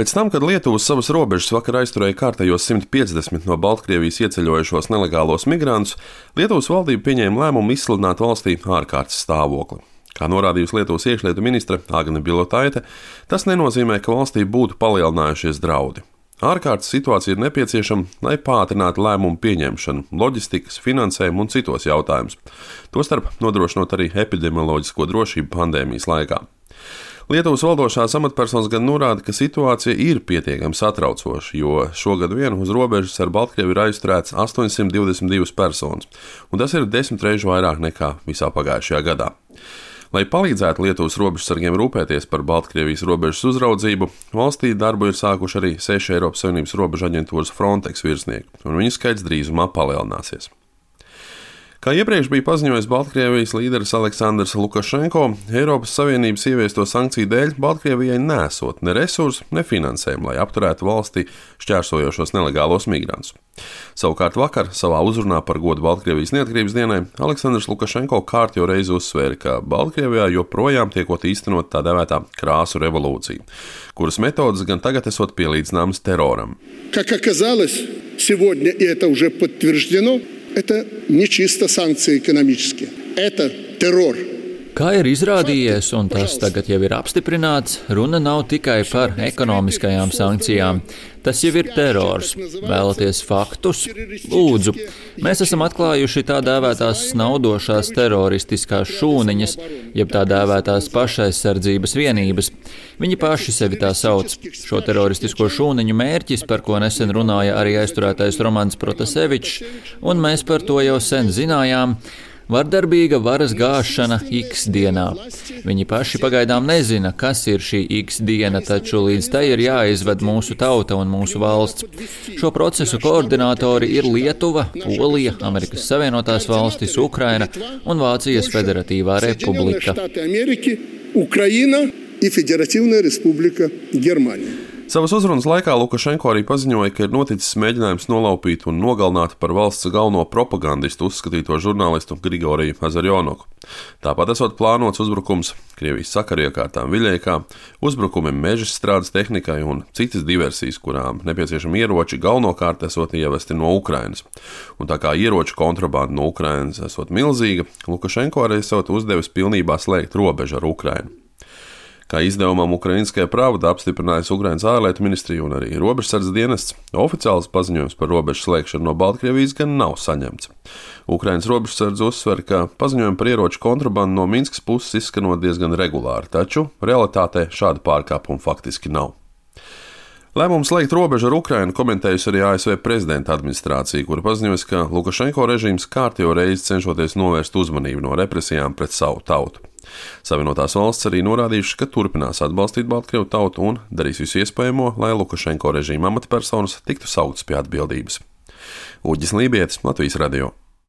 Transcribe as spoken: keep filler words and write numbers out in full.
Pēc tam, kad Lietuva uz savas robežas vakar aizturēja kārtējos simt piecdesmit no Baltkrievijas ieceļojušos nelegālos migrantus, Lietuvas valdība pieņēma lēmumu izsludināt valstī ārkārtas stāvokli. Kā norādījusi Lietuvas iekšlietu ministre Agne Bilotaite, tas nenozīmē, ka valstī būtu palielinājušies draudi. Ārkārtas situācija ir nepieciešama, lai pātrinātu lēmumu pieņemšanu, loģistikas, finansējumu un citos jautājumus, tostarp nodrošinot arī epidemioloģisko drošību pandēmijas laikā. Lietuvas valdošās amatpersonas gan norāda, ka situācija ir pietiekami satraucoša, jo šogad vien uz robežas ar Baltkrievi ir aizturēts astoņsimt divdesmit divas personas, un tas ir desmit reižu vairāk nekā visā pagājušajā gadā. Lai palīdzētu Lietuvas robežsargiem rūpēties par Baltkrievijas robežas uzraudzību, valstī darbu ir sākuši arī seši Eiropas Savienības robežu aģentūras Frontex virsnieki, un viņu skaits drīzumā palielināsies. Kā iepriekš bija paziņojis Baltkrievijas līderis Aleksandrs Lukašenko, Eiropas Savienības ieviesto sankciju dēļ Baltkrievijai nesot ne resursu, ne finansējumu, lai apturētu valstī šķērsojošos nelegālos migrantus. Savukārt vakar savā uzrunā par godu Baltkrievijas neatkarības dienai Aleksandrs Lukašenko kārtjo reizi uzsvēra, ka Baltkrievijā joprojām tiekot īstenot tā dēvētā krāsu revolūcija, kuras metodas gan tagad esot pielīdzināmas teroram. Как оказалось, сегодня это уже подтверждено. Это не чисто санкции экономические, это террор. Kā ir izrādījies, un tas tagad jau ir apstiprināts, runa nav tikai par ekonomiskajām sankcijām. Tas jau ir terors. Vēlaties faktus? Lūdzu. Mēs esam atklājuši tā dēvētās snaudošās teroristiskās šūniņas, jeb tā dēvētās pašaizsardzības vienības. Viņi paši sevi tā sauc. Šo teroristisko šūniņu mērķis, par ko nesen runāja arī aizturētais Romans Protasevičs, un mēs par to jau sen zinājām, vardarbīga varas gāšana X dienā. Viņi paši pagaidām nezina, kas ir šī X diena, taču līdz tai ir jāizved mūsu tauta un mūsu valsts. Šo procesu koordinātori ir Lietuva, Polija, Amerikas Savienotās valstis, Ukraina un Vācijas Federatīvā Republika. Ukraina и Федеративная Республика Германия. Savas uzrunas laikā Lukašenko arī paziņoja, ka ir noticis mēģinājums nolaupīt un nogalināt par valsts galveno propagandistu uzskatīto žurnālistu Grigoriju Azarjonoku. Tāpat esot plānots uzbrukums Krievijas sakariekārtām Viļeikā, uzbrukumi mežstrādes tehnikai un citas diversijas, kurām nepieciešami ieroči galvenokārt esot ievesti no Ukrainas. Un tā kā ieroču kontrabanda no Ukrainas esot milzīga, Lukašenko arī esot uzdevis pilnībā slēgt robežu ar Ukrainu. Kā izdevumam Ukrainiskajā Pravda apstiprinājusi Ukrainas ārlietu ministrija un arī robežsardzes dienests, oficiāls paziņojums par robežu slēgšanu no Baltkrievijas gan nav saņemts. Ukrainas robežsardze uzsver, ka paziņojumi par ieroču kontrabandu no Minskas puses izskanot diezgan regulāri, taču realitātē šāda pārkāpuma faktiski nav. Lēmumu slēgt robežu ar Ukrainu komentējusi arī A S V prezidenta administrācija, kura paziņojusi, ka Lukašenko režīms kārtējo reizi cenšoties novērst uzmanību no represijām pret savu tautu. Savienotās valsts arī norādījušas, ka turpinās atbalstīt Baltkrievu tautu un darīs visu iespējamo, lai Lukašenko režīma amatpersonas tiktu sauktas pie atbildības. Uģis Lībietis, Latvijas radio.